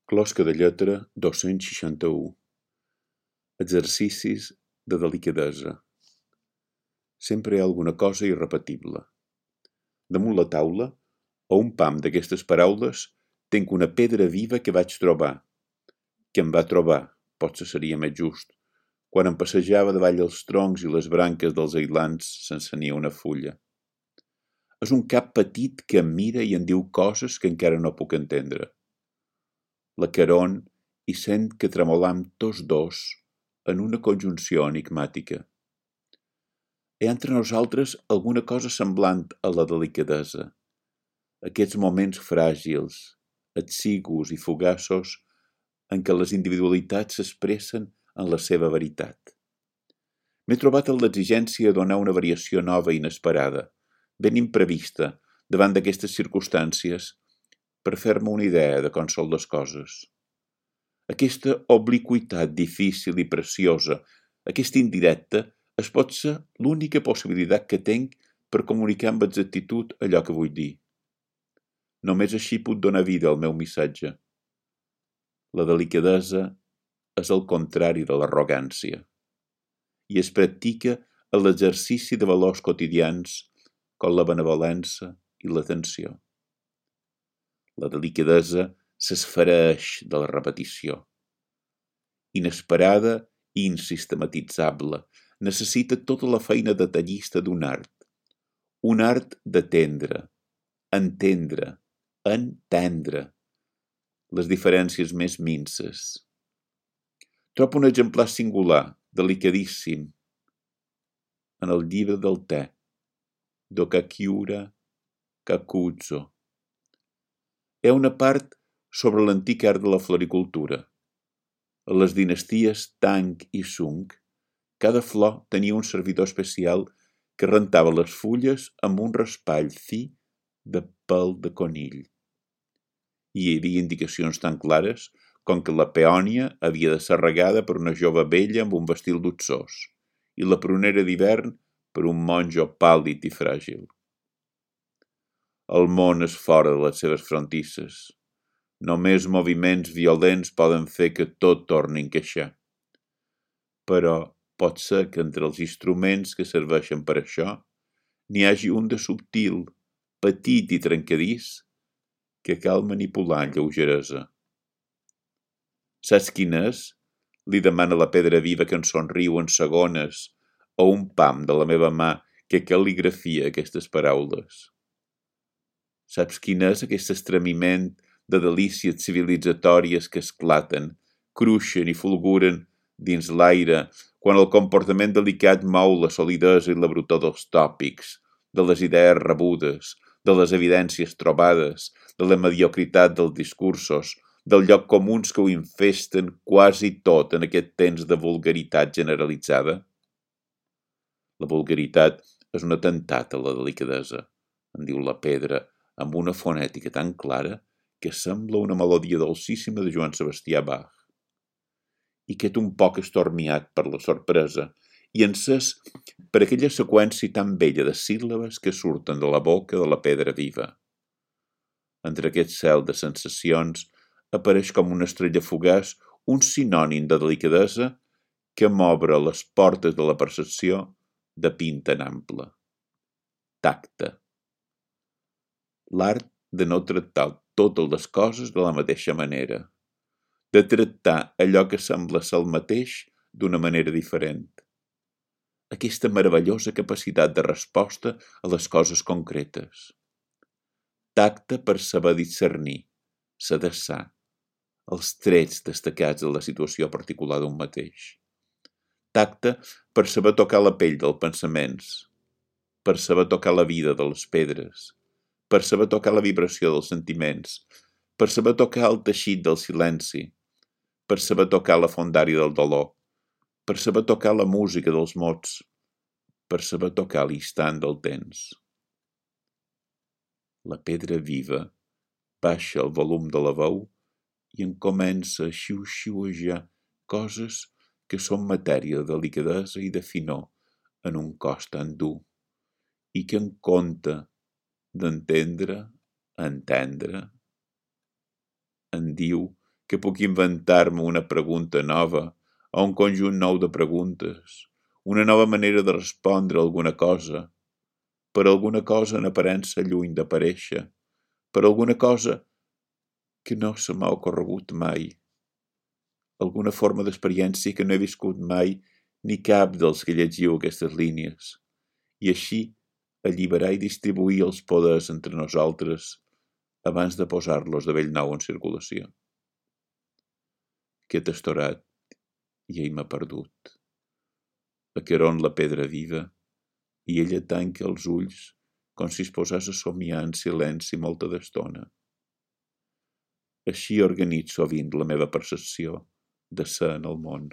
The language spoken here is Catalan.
Closca de lletra 261. Exercicis de delicadesa. Sempre hi ha alguna cosa irrepetible. Damunt la taula, a un pam d'aquestes paraules, tenc una pedra viva que vaig trobar. Que em va trobar, potser seria més just, quan em passejava davall els troncs i les branques dels ailants sense ni una fulla. És un cap petit que em mira i em diu coses que encara no puc entendre. La Caron hi sent que tremolam tots dos en una conjunció enigmàtica. Hi ha entre nosaltres alguna cosa semblant a la delicadesa, aquests moments fràgils, exigus i fugaços en què les individualitats s'expressen en la seva veritat. M'he trobat en l'exigència de donar una variació nova i inesperada, ben imprevista, davant d'aquestes circumstàncies, per fer-me una idea de com són les coses. Aquesta obliqüitat difícil i preciosa, aquesta indirecta, es pot ser l'única possibilitat que tenc per comunicar amb exactitud allò que vull dir. Només així puc donar vida al meu missatge. La delicadesa és el contrari de l'arrogància i es practica en l'exercici de valors quotidians com la benevolença i l'atenció. La delicadesa s'esfereix de la repetició. Inesperada i insistematitzable, necessita tota la feina detallista d'un art. Un art d'atendre, entendre, entendre les diferències més minces. Trobo un exemplar singular, delicadíssim, en el llibre del te, d'Okakiura Kakuzo. Hi ha una part sobre l'antic art de la floricultura. A les dinasties Tang i Sung, cada flor tenia un servidor especial que rentava les fulles amb un raspall fi de pèl de conill. Hi havia indicacions tan clares com que la peònia havia de ser regada per una jove vella amb un vestit luxós i la prunera d'hivern per un monjo pàl·lid i fràgil. El món és fora de les seves frontisses. Només moviments violents poden fer que tot torni a encaixar. Però pot ser que entre els instruments que serveixen per això n'hi hagi un de subtil, petit i trencadís que cal manipular amb lleugeresa. Saps quin és? Li demana la pedra viva que en somriu en segones o un pam de la meva mà que cal·ligrafia aquestes paraules. Saps quin és aquest estremiment de delícies civilitzatòries que esclaten, cruixen i fulguren dins l'aire quan el comportament delicat mou la solidesa i la brutor dels tòpics, de les idees rebudes, de les evidències trobades, de la mediocritat dels discursos, del lloc comuns que ho infesten quasi tot en aquest temps de vulgaritat generalitzada? La vulgaritat és un atemptat a la delicadesa, en diu la pedra, amb una fonètica tan clara que sembla una melodia dolcíssima de Joan Sebastià Bach. I qued un poc estormiat per la sorpresa i encès per aquella seqüència tan bella de síl·labes que surten de la boca de la pedra viva. Entre aquest cel de sensacions apareix com una estrella fugaç un sinònim de delicadesa que m'obre les portes de la percepció de pinta en ample. Tacte. L'art de no tractar totes les coses de la mateixa manera, de tractar allò que sembla ser el mateix d'una manera diferent. Aquesta meravellosa capacitat de resposta a les coses concretes. Tacte per saber discernir, sedessar, els trets destacats de la situació particular d'un mateix. Tacte per saber tocar la pell dels pensaments, per saber tocar la vida de les pedres, per saber tocar la vibració dels sentiments, per saber tocar el teixit del silenci, per saber tocar la fondària del dolor, per saber tocar la música dels mots, per saber tocar l'instant del temps. La pedra viva baixa el volum de la veu i en comença a xiu-xiuejar coses que són matèria de delicadesa i de finor en un cos tan dur i que en compte d'entendre, entendre, en diu que puc inventar-me una pregunta nova o un conjunt nou de preguntes, una nova manera de respondre a alguna cosa, per alguna cosa en aparença lluny d'aparèixer, per alguna cosa que no se m'ha ocorregut mai, alguna forma d'experiència que no he viscut mai ni cap dels que llegiu aquestes línies, i així alliberar i distribuir els poders entre nosaltres abans de posar-los de bell nou en circulació. Aquest estorat i ell m'ha perdut. Aqueron la pedra viva i ella tanca els ulls com si es posés a somiar en silenci molta d'estona. Així organitzo sovint la meva percepció de ser en el món.